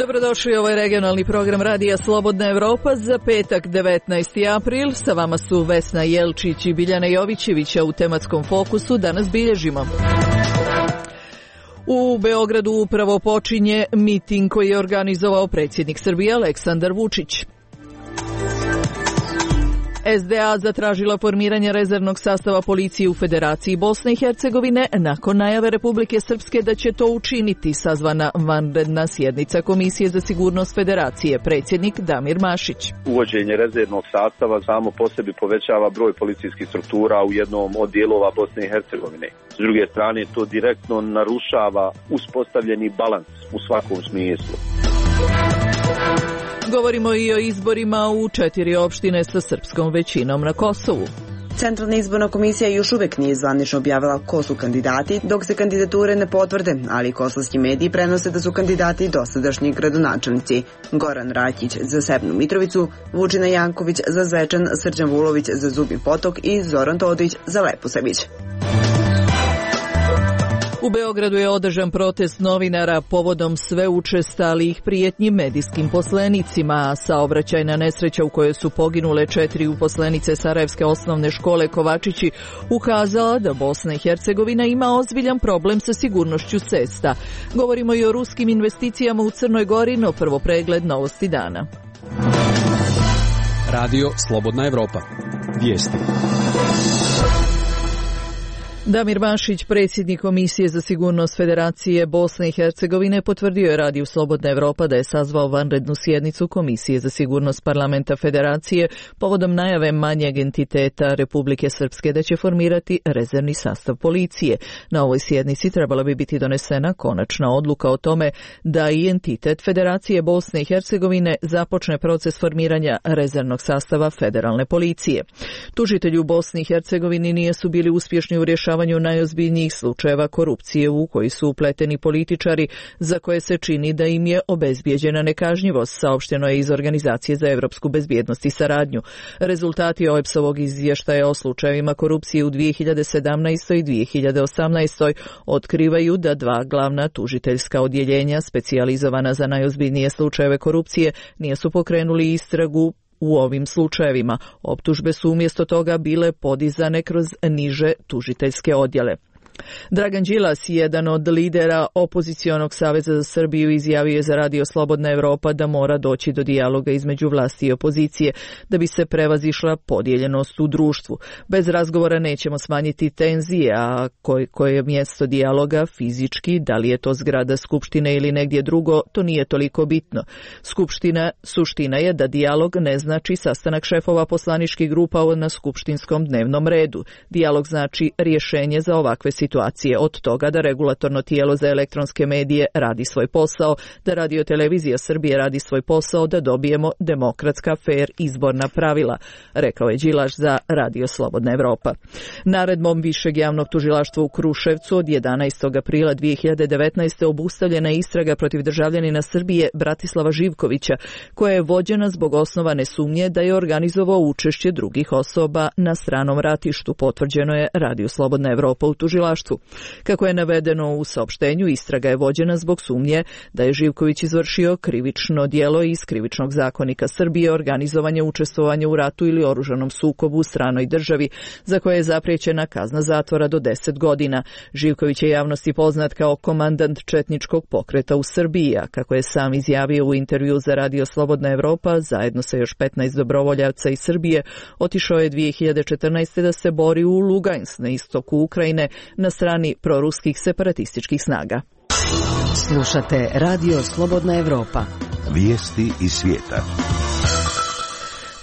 Dobrodošli, ovo je regionalni program Radija Slobodna Evropa za petak 19. april. Sa vama su Vesna Jelčić i Biljana Jovićevića. U tematskom fokusu danas bilježimo. U Beogradu upravo počinje miting koji je organizovao predsjednik Srbije Aleksandar Vučić. SDA zatražila formiranje rezervnog sastava policije u Federaciji Bosne i Hercegovine nakon najave Republike Srpske da će to učiniti. Sazvana vanredna sjednica Komisije za sigurnost Federacije, predsjednik Damir Mašić. Uvođenje rezervnog sastava samo po sebi povećava broj policijskih struktura u jednom od dijelova Bosne i Hercegovine. S druge strane, to direktno narušava uspostavljeni balans u svakom smislu. Govorimo i o izborima u 4 opštine sa srpskom većinom na Kosovu. Centralna izborna komisija još uvijek nije zvanično objavila ko su kandidati, dok se kandidature ne potvrde, ali kosovski mediji prenose da su kandidati dosadašnji gradonačelnici. Goran Rakić za Severnu Mitrovicu, Vučina Janković za Zvečan, Srđan Vulović za Zubin Potok i Zoran Todić za Leposavić. U Beogradu je održan protest novinara povodom sve učestalijih prijetnji medijskim poslenicima, a saobraćajna nesreća u kojoj su poginule 4 uposlenice Sarajevske osnovne škole Kovačići ukazala da Bosna i Hercegovina ima ozbiljan problem sa sigurnošću cesta. Govorimo i o ruskim investicijama u Crnoj Gori, no prvo pregled novosti dana. Radio Slobodna Evropa. Vijesti. Damir Mašić, predsjednik Komisije za sigurnost Federacije Bosne i Hercegovine, potvrdio je Radiju Slobodna Evropa da je sazvao vanrednu sjednicu Komisije za sigurnost Parlamenta Federacije povodom najave manjeg entiteta Republike Srpske da će formirati rezervni sastav policije. Na ovoj sjednici trebala bi biti donesena konačna odluka o tome da i entitet Federacije Bosne i Hercegovine započne proces formiranja rezervnog sastava federalne policije. Tužitelji u Bosni i Hercegovini nisu bili uspješni u rješavanju najozbiljnijih slučajeva korupcije u koji su upleteni političari za koje se čini da im je obezbijeđena nekažnjivost, saopšteno je iz Organizacije za evropsku bezbjednost i saradnju. Rezultati OEBS-ovog izvještaja o slučajevima korupcije u 2017. i 2018. otkrivaju da 2 glavna tužiteljska odjeljenja specijalizovana za najozbiljnije slučajeve korupcije nisu pokrenuli istragu u ovim slučajevima. Optužbe su umjesto toga bile podizane kroz niže tužiteljske odjele. Dragan Đilas, jedan od lidera opozicionog Saveza za Srbiju, izjavio je za Radio Slobodna Evropa da mora doći do dijaloga između vlasti i opozicije da bi se prevazišla podijeljenost u društvu. Bez razgovora nećemo smanjiti tenzije, a koje je mjesto dijaloga fizički, da li je to zgrada Skupštine ili negdje drugo, to nije toliko bitno. Suština je da dijalog ne znači sastanak šefova poslaničkih grupa na skupštinskom dnevnom redu. Dijalog znači rješenje za ovakve situacije, od toga da regulatorno tijelo za elektronske medije radi svoj posao, da Radio-televizija Srbije radi svoj posao, da dobijemo demokratska, fair izborna pravila, rekao je Đilaš za Radio Slobodna Evropa. Naredbom Višeg javnog tužilaštva u Kruševcu od 11. aprila 2019. obustavljena je istraga protiv državljanina Srbije Bratislava Živkovića, koja je vođena zbog osnovane sumnje da je organizovao učešće drugih osoba na stranom ratištu, potvrđeno je Radio Slobodna Evropa u tužilaštvu. Kako je navedeno u saopštenju, istraga je vođena zbog sumnje da je Živković izvršio krivično djelo iz Krivičnog zakonika Srbije, organizovanje učestvovanja u ratu ili oružanom sukobu u stranoj državi, za koje je zapriječena kazna zatvora do 10 godina. Živković je javnosti poznat kao komandant četničkog pokreta u Srbiji, a kako je sam izjavio u intervju za Radio Slobodna Evropa, zajedno sa još 15 dobrovoljaca iz Srbije, otišao je 2014. da se bori u Lugansk na istoku Ukrajine na strani proruskih separatističkih snaga. Slušate Radio Slobodna Evropa. Vijesti iz svijeta.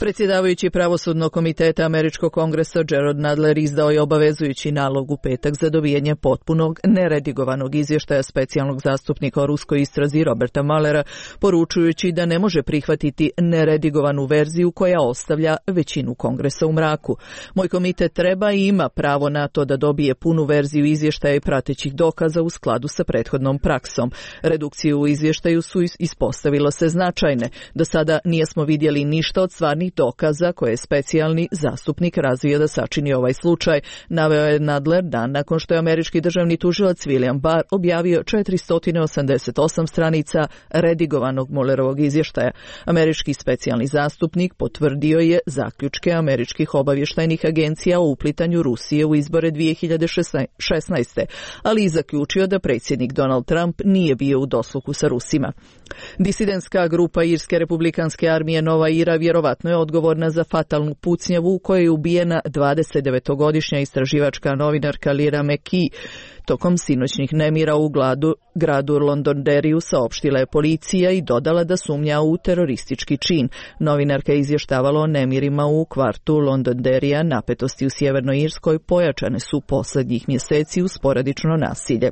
Predsjedavajući pravosudnog komiteta Američkog kongresa Gerald Nadler izdao je obavezujući nalog u petak za dobijanje potpunog, neredigovanog izvještaja specijalnog zastupnika o ruskoj istrazi Roberta Muellera, poručujući da ne može prihvatiti neredigovanu verziju koja ostavlja većinu kongresa u mraku. Moj komitet treba i ima pravo na to da dobije punu verziju izvještaja i pratećih dokaza u skladu sa prethodnom praksom. Redukcije u izvještaju su ispostavilo se značajne. Do sada nismo vidjeli ništa od stvarnih konkretnih dokaza koje je specijalni zastupnik razvio da sačini ovaj slučaj, naveo je Nadler dan nakon što je američki državni tužilac William Barr objavio 488 stranica redigovanog Muellerovog izvještaja. Američki specijalni zastupnik potvrdio je zaključke američkih obavještajnih agencija o uplitanju Rusije u izbore 2016. ali i zaključio da predsjednik Donald Trump nije bio u dosluhu sa Rusima. Disidentska grupa Irske republikanske armije Nova Ira vjerovatno je odgovorna za fatalnu pucnjavu u kojoj je ubijena 29-godišnja istraživačka novinarka Lyra McKee. Tokom sinoćnih nemira u gradu Londonderriju saopštila je policija i dodala da sumnja u teroristički čin. Novinarka je izvještavala o nemirima u kvartu Londonderrija, napetosti u Sjevernoj Irskoj pojačane su posljednjih mjeseci uz sporadično nasilje.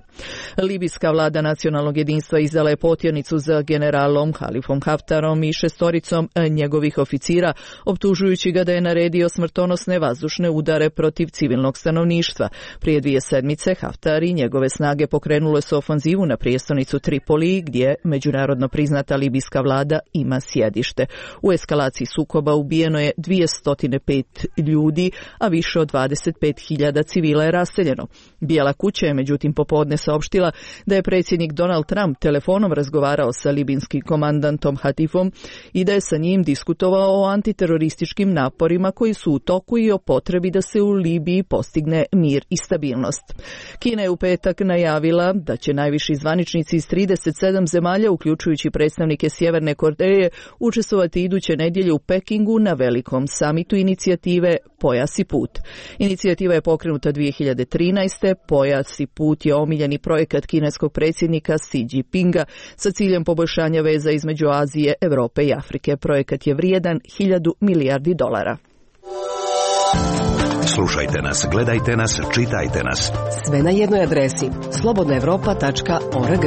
Libijska vlada nacionalnog jedinstva izdala je potjernicu za generalom Halifom Haftarom i 6 njegovih oficira, optužujući ga da je naredio smrtonosne vazdušne udare protiv civilnog stanovništva. Prije 2 sedmice Haftar i njegove snage pokrenule su ofanzivu na prijestolnicu Tripoli, gdje međunarodno priznata libijska vlada ima sjedište. U eskalaciji sukoba ubijeno je 205 ljudi, a više od 25.000 civila je raseljeno. Bijela kuća je međutim popodne saopštila da je predsjednik Donald Trump telefonom razgovarao sa libijskim komandantom Hatifom i da je sa njim diskutovao o antiterorističkim naporima koji su u toku i o potrebi da se u Libiji postigne mir i stabilnost. Kina je u petak najavila da će najviši zvaničnici iz 37 zemalja, uključujući predstavnike Sjeverne Koreje, učestvovati iduće nedjelje u Pekingu na velikom samitu inicijative Pojas i put. Inicijativa je pokrenuta 2013. Pojas i put je omiljeni projekat kineskog predsjednika Xi Jinpinga sa ciljem poboljšanja veza između Azije, Europe i Afrike. Projekat je vrijedan $1.000 milijardi. Slušajte nas, gledajte nas, čitajte nas. Sve na jednoj adresi slobodnaevropa.org.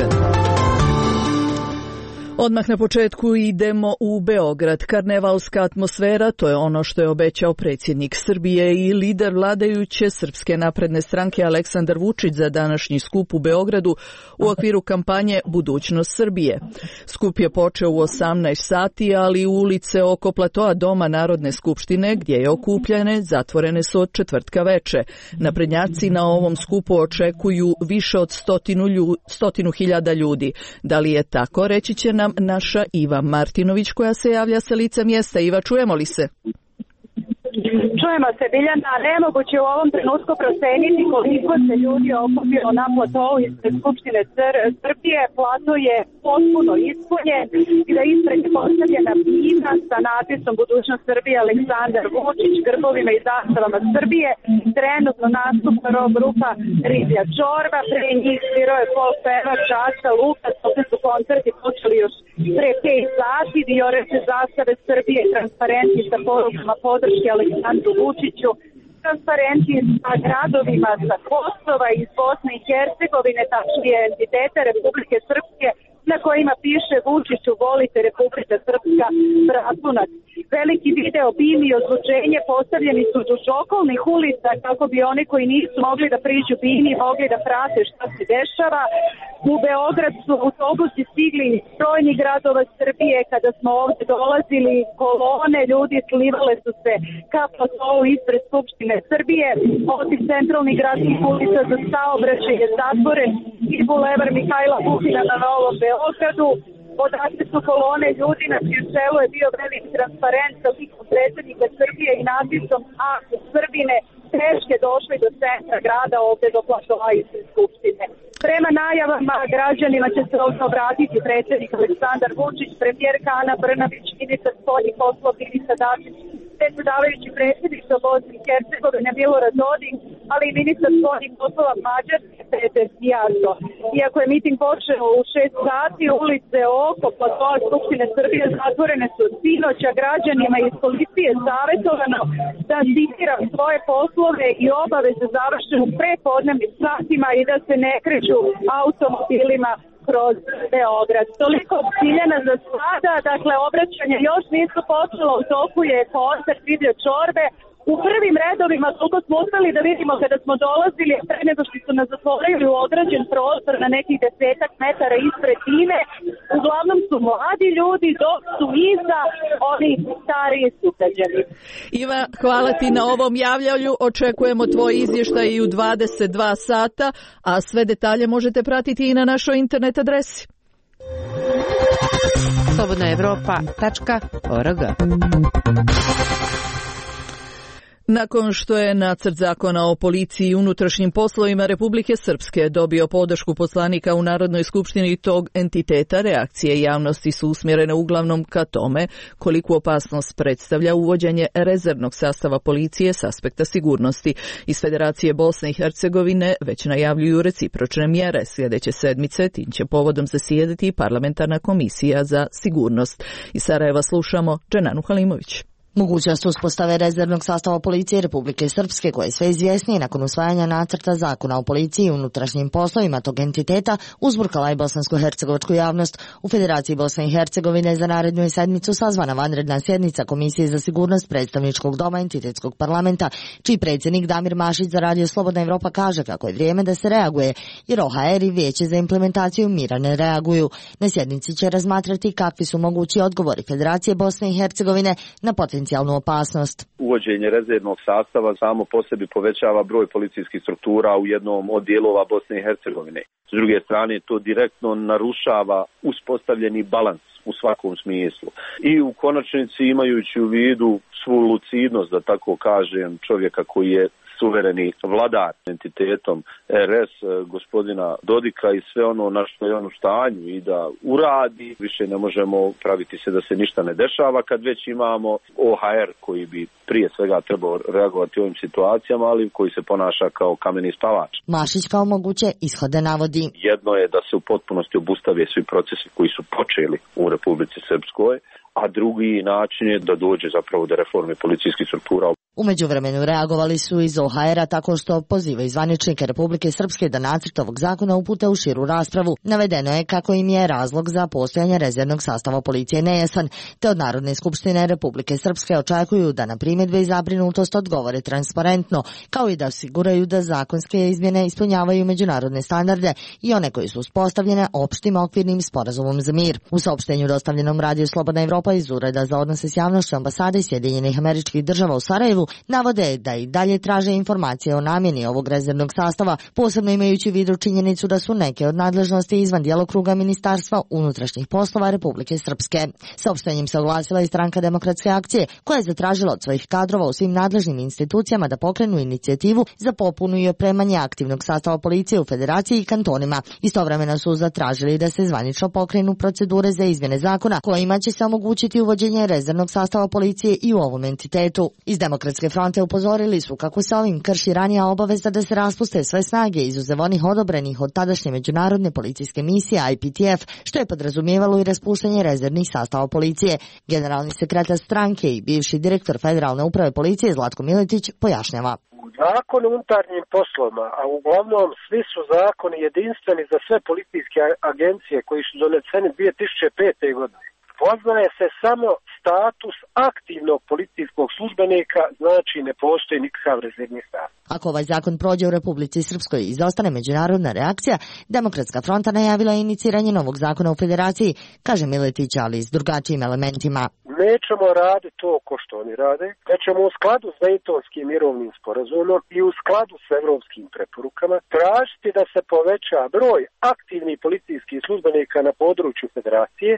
Odmah na početku idemo u Beograd. Karnevalska atmosfera, to je ono što je obećao predsjednik Srbije i lider vladajuće Srpske napredne stranke Aleksandar Vučić za današnji skup u Beogradu u okviru kampanje Budućnost Srbije. Skup je počeo u 18 sati, ali ulice oko platoa Doma Narodne skupštine, gdje je okupljene, zatvorene su od četvrtka veče. Naprednjaci na ovom skupu očekuju više od 100.000 ljudi. Da li je tako, reći će nam naša Iva Martinović koja se javlja sa lica mjesta. Iva, čujemo li se? Čujemo se, Biljana. Nemoguće u ovom trenutku proceniti koliko se ljudi okupilo na platovu ispred Skupštine Srbije. Plato je potpuno ispunjen i da ispred je postavljena bina sa natpisom Budućnost Srbije Aleksandar Vučić, grbovima i zastavama Srbije. Trenutno nastupa rock grupa Riblja Čorba, pre njih svirao je folk pevač Aca Lukas, ovdje su koncerti počeli još pre 5 sati, vioreće zastave Srbije i transparenti sa porukama podrške Aleksandru Vučiću, transparenti sa gradovima sa Kosova iz Bosne i Hercegovine, tačnije entitete Republike Srpske, na kojima piše Vučiću volite Republika Srpska, bratunac. Veliki video, bim i ozvučenje postavljeni su duž okolnih ulica kako bi oni koji nisu mogli da priđu bini mogli da prate šta se dešava. U Beograd su autobusi stigli iz brojnih gradova Srbije. Kada smo ovdje dolazili, kolone ljudi slivale su se ka platovu ispred Skupštine Srbije. Osim centralnih gradskih ulica za saobraćaj je zatvoren i bulevar Mihajla Pupina na Novom Beogradu. Odatle su kolone ljudi, na čijem čelu je bio veliki transparent sa likom predsjednika Srbije i natpisom A Srbine, teške došli do centra grada, ovdje do platoa ispred Skupštine. Prema najavama građanima će se ovdje obratiti predsjednik Aleksandar Vučić, premijerka Ana Brnabić, ministar spoljnih poslova Ivica Dačić, predsjedavajući predsjedništva Bosne i Hercegovine Milorad Dodik, ali i ministar spoljnih poslova Mađarske Peter Sjato. Iako je miting počeo u 6 sati, ulice oko platoa Skupštine Srbije zatvorene su od sinoća. Građanima iz policije savjetovano da citiram svoje poslove i obaveze završenu prepodnevnim satima i da se ne kreću automobilima kroz Beograd. Toliko ciljena za sada, dakle obraćanje još nisu počelo, u toku je koncert Riblje Čorbe, u prvim redovima, koliko smo uspeli da vidimo kada smo dolazili, pre nego što su nas zatvorili u određen prostor na nekih 10 metara ispred time, uglavnom su mladi ljudi, dok su iza oni stariji sugrađani. Iva, hvala ti na ovom javljanju. Očekujemo tvoj izvještaj i u 22 sata, a sve detalje možete pratiti i na našoj internet adresi. slobodnaevropa.org. Nakon što je nacrt zakona o policiji i unutrašnjim poslovima Republike Srpske dobio podršku poslanika u Narodnoj skupštini tog entiteta, reakcije javnosti su usmjerene uglavnom ka tome koliku opasnost predstavlja uvođenje rezervnog sastava policije s aspekta sigurnosti. Iz Federacije Bosne i Hercegovine već najavljuju recipročne mjere. Sljedeće sedmice tim će povodom zasjedati Parlamentarna komisija za sigurnost. Iz Sarajeva slušamo Dženanu Halimović. Mogućnost uspostave rezervnog sastava policije Republike Srpske, koje je sve izvjesnije nakon usvajanja nacrta zakona o policiji i unutrašnjim poslovima tog entiteta, uzburkala je bosansko-hercegovačku javnost. U Federaciji Bosne i Hercegovine za narednu sedmicu sazvana vanredna sjednica Komisije za sigurnost predstavničkog doma entitetskog parlamenta, čiji predsjednik Damir Mašić za Radio Slobodna Evropa kaže kako je vrijeme da se reaguje, jer OHR i Vijeće za implementaciju mira ne reaguju. Na sjednici će razmatrati kakvi su mogući odgovori Federacije Bosne i Hercegovine na potencijalnu opasnost. Uvođenje rezervnog sastava samo po sebi povećava broj policijskih struktura u jednom od dijelova Bosne i Hercegovine. S druge strane, to direktno narušava uspostavljeni balans u svakom smislu. I u konačnici, imajući u vidu svu lucidnost, da tako kažem, čovjeka koji je suvereni vladar entitetom RS, gospodina Dodika, i sve ono na što je on u stanju i da uradi, više ne možemo praviti se da se ništa ne dešava kad već imamo OHR koji bi prije svega trebao reagovati u ovim situacijama, ali koji se ponaša kao kameni spavač. Mašić kao moguće ishode navodi. Jedno je da se u potpunosti obustave svi procesi koji su počeli u Republici Srpskoj, a drugi način je da dođe zapravo do reforme policijskih struktura. U međuvremenu reagovali su iz OHR-a tako što pozivaju zvaničnike Republike Srpske da nacrt ovog zakona upute u širu raspravu. Navedeno je kako im je razlog za postojanje rezervnog sastava policije nejasan, te od Narodne skupštine Republike Srpske očekuju da na primjedbe i zabrinutost odgovore transparentno, kao i da osiguraju da zakonske izmjene ispunjavaju međunarodne standarde i one koje su uspostavljene opštim okvirnim sporazumom za mir. U saopštenju dostavljenom Radio Slobodna Evropa iz Ureda za odnose s javnošću ambasade Sjedinjenih Američkih Država u Sarajevu navode da i dalje traže informacije o namjeni ovog rezervnog sastava, posebno imajući u vidu činjenicu da su neke od nadležnosti izvan djelokruga Ministarstva unutrašnjih poslova Republike Srpske. Saopštenjem se oglasila i Stranka demokratske akcije, koja je zatražila od svojih kadrova u svim nadležnim institucijama da pokrenu inicijativu za popunu i opremanje aktivnog sastava policije u Federaciji i kantonima. Istovremeno su zatražili da se zvanično pokrenu procedure za izmjene zakona kojima će se omogućiti uvođenje rezervnog sastava policije i u ovom entitetu. Iz Demokratske fronte upozorili su kako se ovim krši ranija obaveza da se raspuste sve snage izuzev onih odobrenih od tadašnje međunarodne policijske misije IPTF, što je podrazumijevalo i raspuštanje rezervnih sastava policije. Generalni sekretar stranke i bivši direktor Federalne uprave policije Zlatko Miletić pojašnjava. Zakon o unutarnjim poslovima, a uglavnom svi su zakoni jedinstveni za sve policijske agencije koji su doneseni 2005. godine. Poznaje se samo status aktivnog policijskog službenika, znači ne postoji nikakav rezervni status. Ako ovaj zakon prođe u Republici Srpskoj i izostane međunarodna reakcija, Demokratska fronta najavila je iniciranje novog zakona u Federaciji, kaže Miletić, ali s drugačijim elementima. Nećemo raditi to ko što oni rade, da ćemo u skladu s Dejtonskim mirovnim sporazumom i u skladu s evropskim preporukama tražiti da se poveća broj aktivnih policijskih službenika na području Federacije,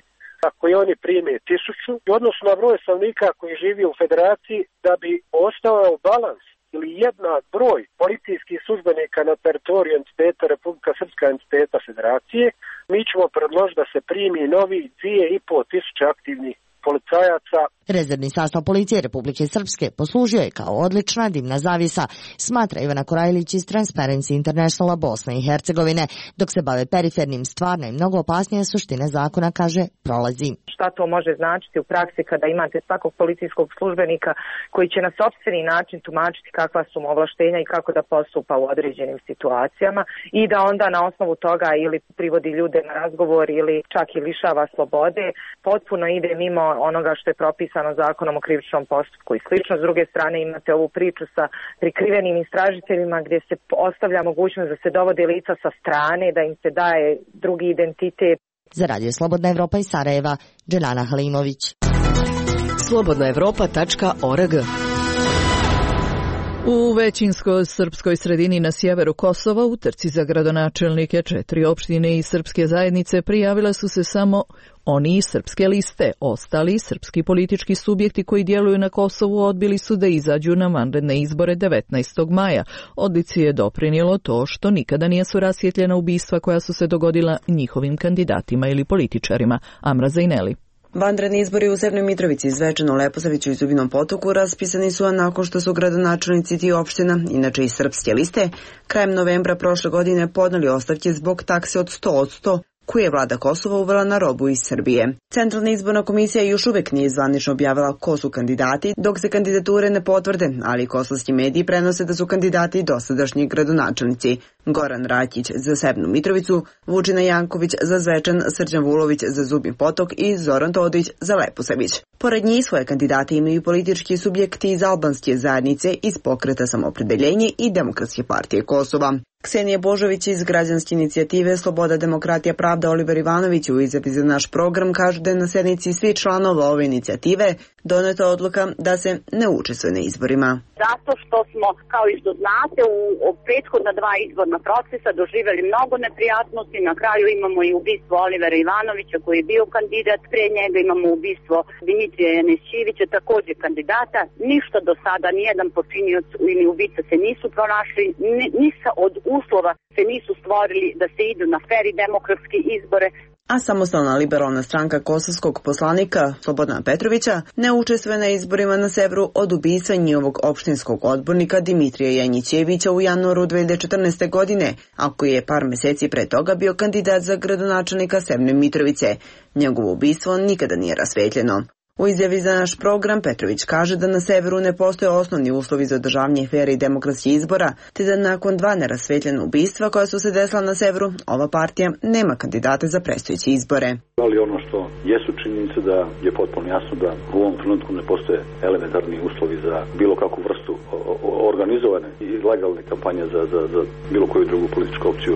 koji oni prime 1000, odnosno na broj stanovnika koji živi u Federaciji, da bi ostao balans ili jednak broj policijskih službenika na teritoriju entiteta Republika Srpska entiteta Federacije. Mi ćemo predložiti da se primi novi 2500 aktivnih policajaca. Rezervni sastav policije Republike Srpske poslužio je kao odlična dimna zavjesa, smatra Ivana Korajlić iz Transparency Internationala Bosne i Hercegovine. Dok se bave perifernim, stvarna i mnogo opasnija suština zakona, kaže, prolazi. Šta to može značiti u praksi kada imate svakog policijskog službenika koji će na sopstveni način tumačiti kakva su mu ovlaštenja i kako da postupa u određenim situacijama i da onda na osnovu toga ili privodi ljude na razgovor ili čak i lišava slobode, potpuno ide mimo onoga što je propisano zakonom o krivičnom postupku i slično. S druge strane imate ovu priču sa prikrivenim istražiteljima gdje se ostavlja mogućnost da se dovode lica sa strane, da im se daje drugi identitet. Za Radio Slobodna Evropa iz Sarajeva, Dželana Halimović. slobodnaevropa.org. U većinskoj srpskoj sredini na sjeveru Kosova u trci za gradonačelnike 4 opštine i srpske zajednice prijavile su se samo oni iz srpske liste. Ostali srpski politički subjekti koji djeluju na Kosovu odbili su da izađu na vanredne izbore 19. maja. Odlici je doprinijelo to što nikada nisu rasvjetljena ubistva koja su se dogodila njihovim kandidatima ili političarima. Amra Zajneli. Vanredni izbori u Severnoj Mitrovici, Zvečanu, Leposaviću i Zubinom Potoku raspisani su nakon što su gradonačelnici tih opština, inače iz srpske liste, krajem novembra prošle godine podneli ostavke zbog takse od 100% koju je vlada Kosova uvela na robu iz Srbije. Centralna izborna komisija još uvek nije zvanično objavila ko su kandidati, dok se kandidature ne potvrde, ali kosovski mediji prenose da su kandidati dosadašnji gradonačelnici. Goran Rakić za Severnu Mitrovicu, Vučina Janković za Zvečan, Srđan Vulović za Zubin Potok i Zoran Todić za Leposavić. Pored njih svoje kandidate imaju politički subjekti iz albanske zajednice, iz Pokreta Samoopredeljenje i Demokratske partije Kosova. Ksenija Božović iz Građanske inicijative Sloboda, demokratija, pravda Oliver Ivanović u izjavi za naš program kaže da je na sednici svih članova ove inicijative doneta odluka da se ne učestvuje na izborima. Zato što smo, kao i što znate, u prethodna 2 izborna procesa doživjeli mnogo neprijatnosti. Na kraju imamo i ubistvo Olivera Ivanovića koji je bio kandidat, pre njega imamo ubistvo Dimitrija Janesćevića, također kandidata. Ništa do sada, nijedan počinioc ili ubica se nisu pronašli, ništa od uslova se nisu stvorili da se idu na fer i demokratske izbore. A samostalna liberalna stranka kosovskog poslanika Slobodana Petrovića ne učestvuje na izborima na severu od ubistva njihovog opštinskog odbornika Dimitrija Janjićevića u januaru 2014. godine, a koji je par mjeseci pre toga bio kandidat za gradonačelnika Severne Mitrovice. Njegovo ubistvo nikada nije rasvetljeno. U izjavi za naš program Petrović kaže da na severu ne postoje osnovni uslovi za održavanje fer i demokratskih izbora, te da nakon 2 nerasvetljena ubistva koja su se desila na severu, ova partija nema kandidate za predstojeće izbore. Ali ono što jesu činjenice da je potpuno jasno da u ovom trenutku ne postoje elementarni uslovi za bilo kakvu vrstu organizovane i legalne kampanje za bilo koju drugu političku opciju,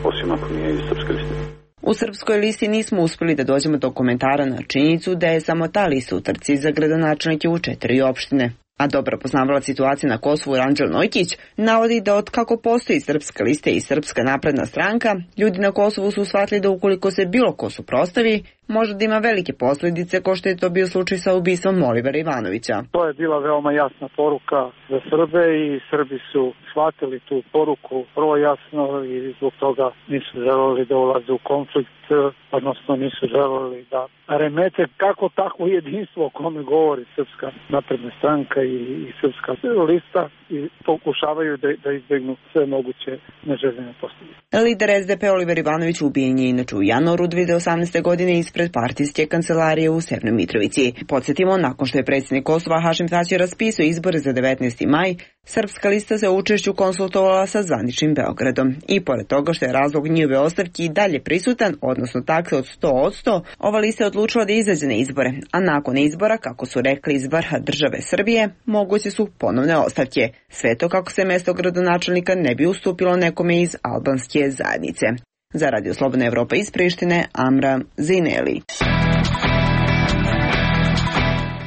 osim ako nije iz srpske liste. U srpskoj listi nismo uspjeli da dođemo do komentara na činjenicu da je samo ta lista u trci za gradonačelnike u 4 opštine. A dobro poznavala situacije na Kosovu Ranđel Nojkić navodi da od kako postoji srpska lista i Srpska napredna stranka, ljudi na Kosovu su shvatili da ukoliko se bilo ko suprotstavi, može da ima velike posljedice, kao što je to bio slučaj sa ubistvom Olivera Ivanovića. To je bila veoma jasna poruka za Srbe i Srbi su shvatili tu poruku vrlo jasno i zbog toga nisu želeli da ulaze u konflikt, odnosno nisu želeli da remete kako takvo jedinstvo o kome govori Srpska napredna stranka i Srpska lista i pokušavaju da izbjegnu sve moguće neželjene posljedice. Lider SDP Oliver Ivanović ubijen je inače u januaru 2018. godine ispred partijske kancelarije u Severnoj Mitrovici. Podsjetimo, nakon što je predsjednik Kosova Hašim Tači raspisao izbore za 19. maj, Srpska lista se u učešću konsultovala sa zvaničnim Beogradom. I pored toga što je razlog njihove ostavke i dalje prisutan, odnosno takse od 100%, ova lista je odlučila da izađe na izbore, a nakon izbora, kako su rekli iz vrha države Srbije, moguće su ponovne ostavke. Sve to kako se mjesto gradonačelnika ne bi ustupilo nekome iz albanske zajednice. Za Radio Slobodna Evropa iz Prištine, Amra Zajneli.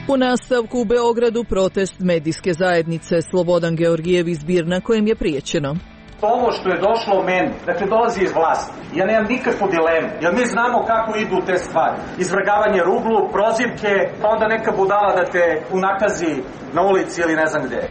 U nastavku u Beogradu protest medijske zajednice Slobodan Georgijev iz Birna kojem je prijećeno. Ovo što je došlo meni, dakle dolazi iz vlasti. Ja nemam nikakvu dilemu, jer mi znamo kako idu te stvari. Izvrgavanje ruglu, prozivke, pa onda neka budala da te unakazi na ulici ili ne znam gde.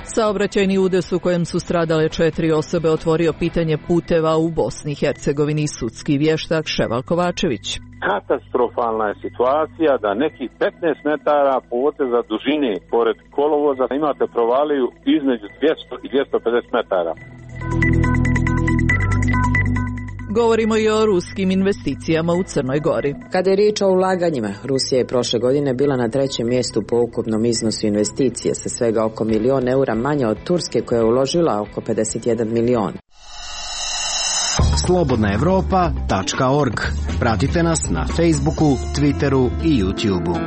Saobraćajni udes u kojem su stradale 4 osobe otvorio pitanje puteva u Bosni i Hercegovini sudski vještak Ševal Kovačević. Katastrofalna je situacija da nekih 15 metara poteza dužine pored kolovoza imate provaliju između 200 i 250 metara. Govorimo i o ruskim investicijama u Crnoj Gori. Kada je riječ o ulaganjima, Rusija je prošle godine bila na 3. mjestu po ukupnom iznosu investicije sa svega oko €1.000.000 eura manje od Turske koja je uložila oko 51 milion. slobodnaevropa.org Pratite nas na Facebooku, Twitteru i YouTubeu.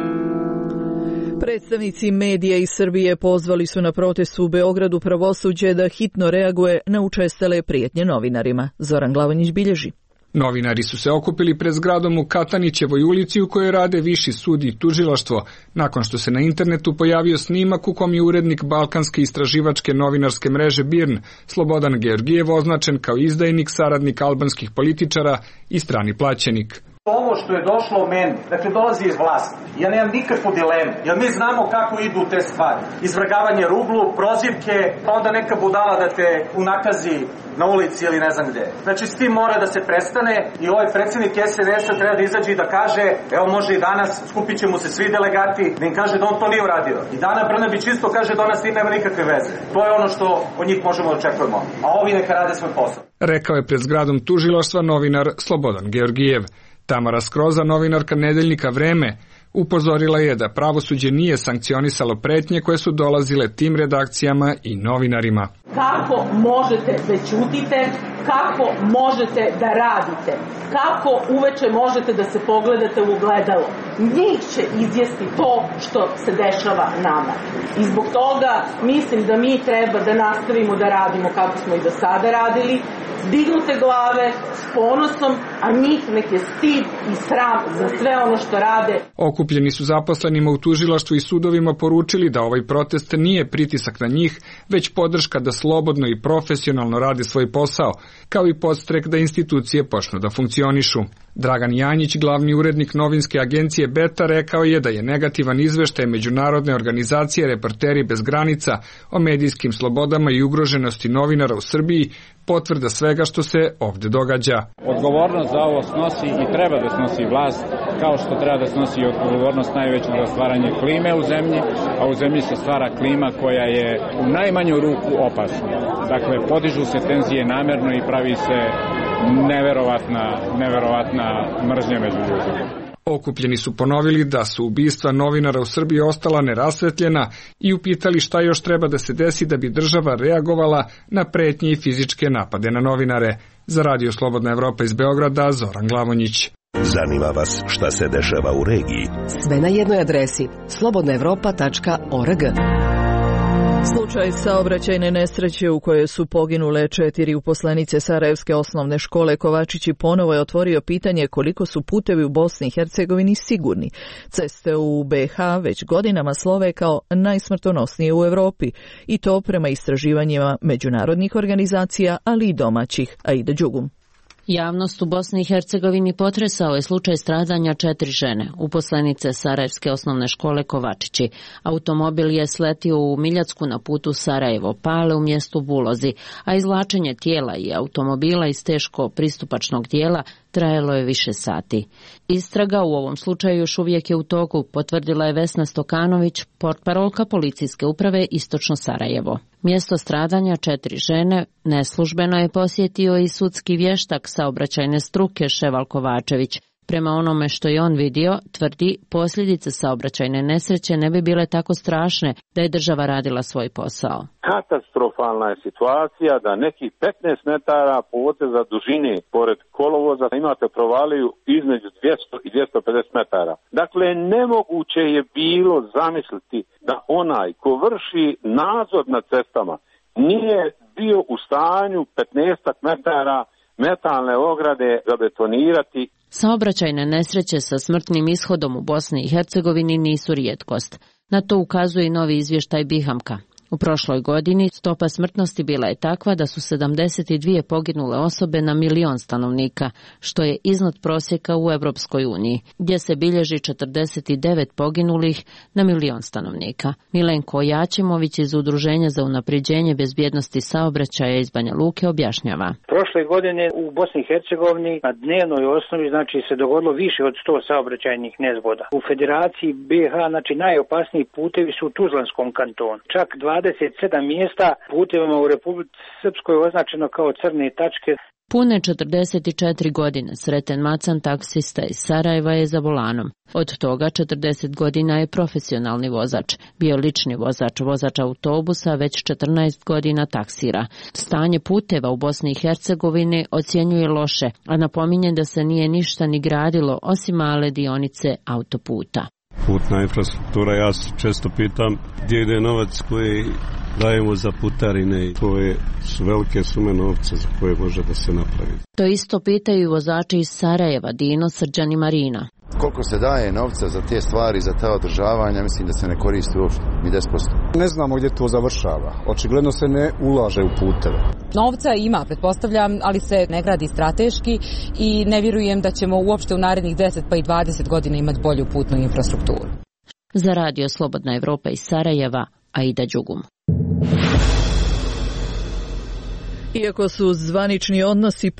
Predstavnici medija iz Srbije pozvali su na protest u Beogradu pravosuđe da hitno reaguje na učestale prijetnje novinarima. Zoran Glavonjić bilježi. Novinari su se okupili pred zgradom u Katanićevoj ulici u kojoj rade Viši sud i tužilaštvo, nakon što se na internetu pojavio snimak u kom je urednik balkanske istraživačke novinarske mreže BIRN, Slobodan Georgijev, označen kao izdajnik, saradnik albanskih političara i strani plaćenik. Ovo što je došlo meni, dakle dolazi iz vlasti. Ja nemam nikakvu dilemu, jer mi znamo kako idu te stvari. Izvrgavanje ruglu, prozivke, pa onda neka budala da te unakazi na ulici ili ne znam gde. Znači s tim mora da se prestane i ovaj predsjednik SNS-a treba da izađe i da kaže, evo može i danas, skupit će mu se svi delegati, da im kaže da on to nije uradio. I Dana Brnabić isto kaže da ona s tim nema nikakve veze. To je ono što od njih možemo da očekujemo. A ovi neka rade svoj posao. Rekao je pred zgradom tužilaštva novinar Slobodan Georgijev. Tamara Skroza, novinarka nedeljnika Vreme, upozorila je da pravosuđe nije sankcionisalo pretnje koje su dolazile tim redakcijama i novinarima. Kako možete da ćutite, kako možete da radite, kako uveče možete da se pogledate u ogledalo. Njih će izjesti to što se dešava nama. I zbog toga mislim da mi treba da nastavimo da radimo kako smo i do sada radili, dignute glave, s ponosom, a njih nek je stid i sram za sve ono što rade. Okupljeni su zaposlenima u tužilaštvu i sudovima poručili da ovaj protest nije pritisak na njih, već podrška da slobodno i profesionalno rade svoj posao, kao i podstrek da institucije počnu da funkcionišu. Dragan Janjić, glavni urednik novinske agencije Beta, rekao je da je negativan izveštaj međunarodne organizacije Reporteri bez granica o medijskim slobodama i ugroženosti novinara u Srbiji potvrda svega što se ovde događa. Odgovornost za ovo snosi i treba da snosi vlast, kao što treba da snosi odgovornost najveću za stvaranje klime u zemlji, a u zemlji se stvara klima koja je u najmanju ruku opasna. Dakle, podižu se tenzije namerno i pravi se neverovatna mržnja među ljudima. Okupljeni su ponovili da su ubistva novinara u Srbiji ostala nerasvetljena i upitali šta još treba da se desi da bi država reagovala na pretnje i fizičke napade na novinare. Za Radio Slobodna Evropa iz Beograda, Zoran Glavonjić. Zanima vas šta se dešava u regiji? Sve na jednoj adresi slobodnaevropa.org. Slučaj saobraćajne nesreće u kojoj su poginule 4 uposlenice Sarajevske osnovne škole Kovačići ponovo je otvorio pitanje koliko su putevi u Bosni i Hercegovini sigurni. Ceste u BiH već godinama slove kao najsmrtonosnije u Evropi i to prema istraživanjima međunarodnih organizacija, ali i domaćih. Aida Đugum. Javnost u Bosni i Hercegovini potresao je slučaj stradanja 4 žene, uposlenice Sarajevske osnovne škole Kovačići. Automobil je sletio u Miljacku na putu Sarajevo-Pale u mjestu Bulozi, a izvlačenje tijela i automobila iz teško pristupačnog dijela trajalo je više sati. Istraga u ovom slučaju još uvijek je u toku, potvrdila je Vesna Stokanović, portparolka policijske uprave Istočno Sarajevo. Mjesto stradanja 4 žene neslužbeno je posjetio i sudski vještak saobraćajne struke Ševal Kovačević. Prema onome što je on vidio, tvrdi, posljedice saobraćajne nesreće ne bi bile tako strašne da je država radila svoj posao. Katastrofalna je situacija da nekih 15 metara poteza dužine pored kolovoza imate provaliju između 200 i 250 metara. Dakle, nemoguće je bilo zamisliti da onaj ko vrši nadzor nad cestama nije bio u stanju 15 metara metalne ograde zabetonirati. Saobraćajne nesreće sa smrtnim ishodom u Bosni i Hercegovini nisu rijetkost. Na to ukazuje i novi izvještaj Bihamka. U prošloj godini stopa smrtnosti bila je takva da su 72 poginule osobe na milion stanovnika, što je iznad prosjeka u Europskoj uniji, gdje se bilježi 49 poginulih na milion stanovnika. Milenko Jačimović iz Udruženja za unapređenje bezbjednosti saobraćaja iz Banja Luke objašnjava. Prošle godine u Bosni i Hercegovini na dnevnoj osnovi se dogodilo više od 100 saobraćajnih nezgoda. U Federaciji BiH najopasniji putevi su u Tuzlanskom kantonu. Čak 27 mjesta putevima u Republici Srpskoj označeno kao crne tačke. Pune 44 godine Sreten Macan, taksista iz Sarajeva, je za volanom. Od toga 40 godina je profesionalni vozač. Bio lični vozač autobusa, već 14 godina taksira. Stanje puteva u Bosni i Hercegovini ocjenjuje loše, a napominje da se nije ništa ni gradilo osim male dionice autoputa. Putna infrastruktura, ja se često pitam gdje ide novac koji dajemo za putarine, koje su velike sume novca za koje može da se napravi. To isto pitaju vozači iz Sarajeva, Dino, Srđan i Marina. Koliko se daje novca za te stvari, za ta održavanja, mislim da se ne koristi uopšte, ni 10%. Ne znamo gdje to završava. Očigledno se ne ulaže u puteve. Novca ima, pretpostavljam, ali se ne gradi strateški i ne vjerujem da ćemo uopšte u narednih 10 pa i 20 godina imati bolju putnu infrastrukturu. Za Radio Slobodna Evropa iz Sarajeva, Aida Đugum. Iako su zvanični odnosi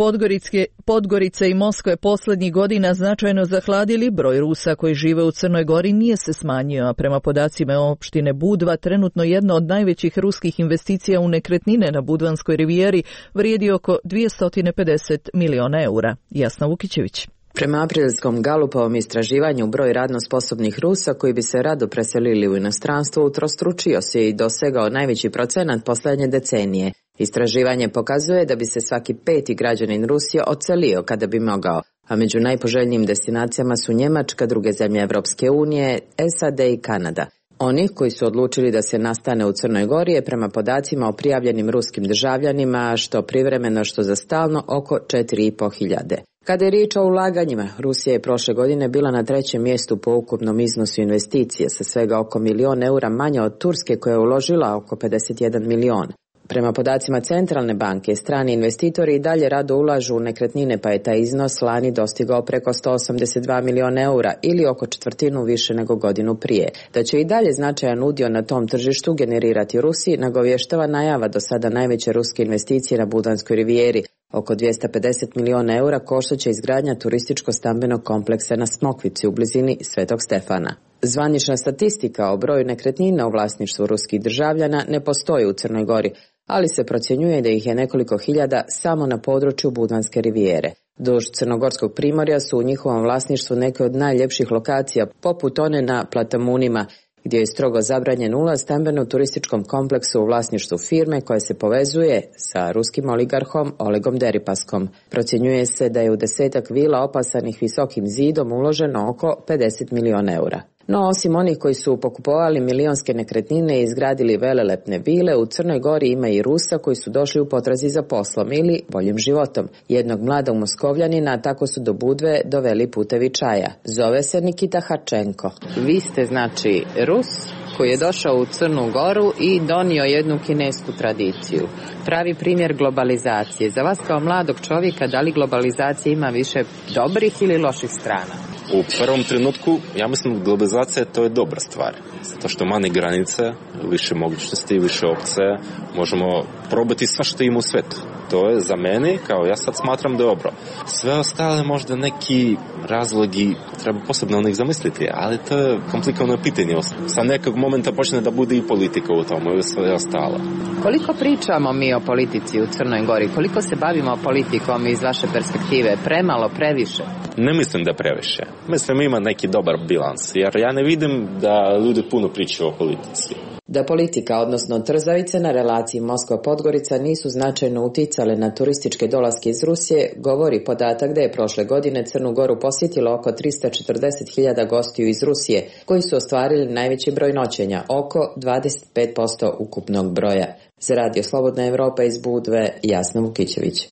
Podgorice i Moskve posljednjih godina značajno zahladili, broj Rusa koji žive u Crnoj Gori nije se smanjio, a prema podacima opštine Budva, trenutno jedna od najvećih ruskih investicija u nekretnine na Budvanskoj rivijeri vrijedi oko 250 miliona eura. Jasna Vukićević. Prema aprilskom Galupovom istraživanju, broj radno sposobnih Rusa koji bi se rado preselili u inostranstvo utrostručio se i dosegao najveći procenat posljednje decenije. Istraživanje pokazuje da bi se svaki 5. građanin Rusije odselio kada bi mogao, a među najpoželjnijim destinacijama su Njemačka, druge zemlje Evropske unije, SAD i Kanada. Oni koji su odlučili da se nastane u Crnoj Gori je prema podacima o prijavljenim ruskim državljanima što privremeno što za stalno oko 4.500. Kada je riječ o ulaganjima, Rusija je prošle godine bila na 3. mjestu po ukupnom iznosu investicije sa svega oko $1.000.000 eura manje od Turske koja je uložila oko 51 milion. Prema podacima Centralne banke, strani investitori i dalje rado ulažu u nekretnine, pa je taj iznos lani dostigao preko 182 miliona eura ili oko četvrtinu više nego godinu prije. Da će i dalje značajan udio na tom tržištu generirati Rusiji, nagovještava najava do sada najveće ruske investicije na Budvanskoj rivijeri. Oko 250 miliona eura koštaće izgradnja turističko-stambenog kompleksa na Smokvici u blizini Svetog Stefana. Zvanična statistika o broju nekretnina u vlasništvu ruskih državljana ne postoji u Crnoj Gori, ali se procjenjuje da ih je nekoliko hiljada samo na području Budvanske rivijere. Duž Crnogorskog primorja su u njihovom vlasništvu neke od najljepših lokacija, poput one na Platamunima, gdje je strogo zabranjen ulaz stambeno-turističkom kompleksu u vlasništvu firme koja se povezuje sa ruskim oligarhom Olegom Deripaskom. Procjenjuje se da je u 10 vila opasanih visokim zidom uloženo oko 50 miliona eura. No, osim onih koji su pokupovali milionske nekretnine i izgradili velelepne vile, u Crnoj Gori ima i Rusa koji su došli u potrazi za poslom ili boljim životom. Jednog mladog Moskovljanina tako su do Budve doveli putevi čaja. Zove se Nikita Hačenko. Vi ste znači Rus koji je došao u Crnu Goru i donio jednu kinesku tradiciju. Pravi primjer globalizacije. Za vas kao mladog čovjeka, da li globalizacija ima više dobrih ili loših strana? U prvom trenutku, ja mislim, globalizacija to je dobra stvar. Zato što manje granice, više mogućnosti, više opcije, možemo probati sva što ima u svetu. To je za mene, kao ja sad smatram dobro. Sve ostale možda neki razlogi, treba posebno onih zamisliti, ali to je komplikovano pitanje. Sa nekog momenta počne da bude i politika u tomu ili sve ostalo. Koliko pričamo mi o politici u Crnoj Gori? Koliko se bavimo politikom iz vaše perspektive? Premalo, previše? Ne mislim da previše. Mislim ima neki dobar bilans, jer ja ne vidim da ljudi puno pričaju o politici. Da politika, odnosno trzavice na relaciji Moskva-Podgorica nisu značajno uticale na turističke dolaske iz Rusije, govori podatak da je prošle godine Crnu Goru posjetilo oko 340.000 gostiju iz Rusije, koji su ostvarili najveći broj noćenja, oko 25% ukupnog broja. Za Radio Slobodna Evropa iz Budve, Jasna Vukićević.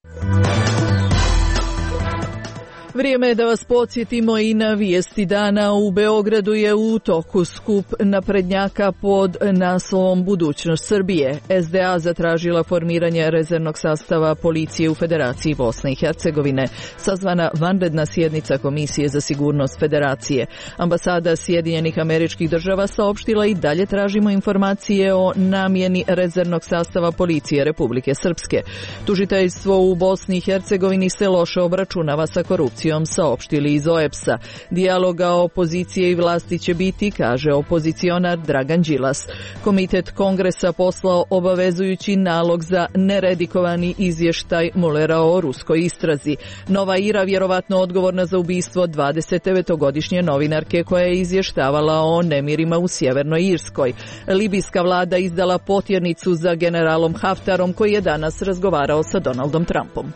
Vrijeme je da vas podsjetimo i na vijesti dana. U Beogradu je u toku skup naprednjaka pod naslovom Budućnost Srbije. SDA zatražila formiranje rezervnog sastava policije u Federaciji Bosne i Hercegovine. Sazvana vanredna sjednica Komisije za sigurnost Federacije. Ambasada Sjedinjenih Američkih Država saopštila i dalje tražimo informacije o namjeni rezervnog sastava policije Republike Srpske. Tužiteljstvo u Bosni i Hercegovini se loše obračunava sa korupcijom opozicijom, saopštili iz OEBS-a. Dijaloga opozicije i vlasti će biti, kaže opozicionar Dragan Đilas. Komitet Kongresa poslao obavezujući nalog za neredikovani izvještaj Mullera o ruskoj istrazi. Nova Ira vjerovatno odgovorna za ubistvo 29-godišnje novinarke koja je izvještavala o nemirima u Sjevernoj Irskoj. Libijska vlada izdala potjernicu za generalom Haftarom koji je danas razgovarao sa Donaldom Trumpom.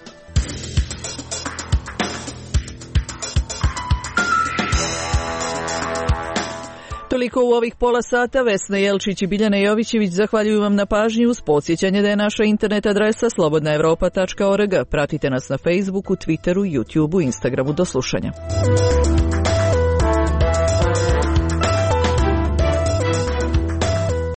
Toliko u ovih pola sata. Vesna Jelčić i Biljana Jovićević zahvaljuju vam na pažnji uz podsjećanje da je naša internet adresa slobodnaevropa.org. Pratite nas na Facebooku, Twitteru, YouTubeu, Instagramu. Do slušanja.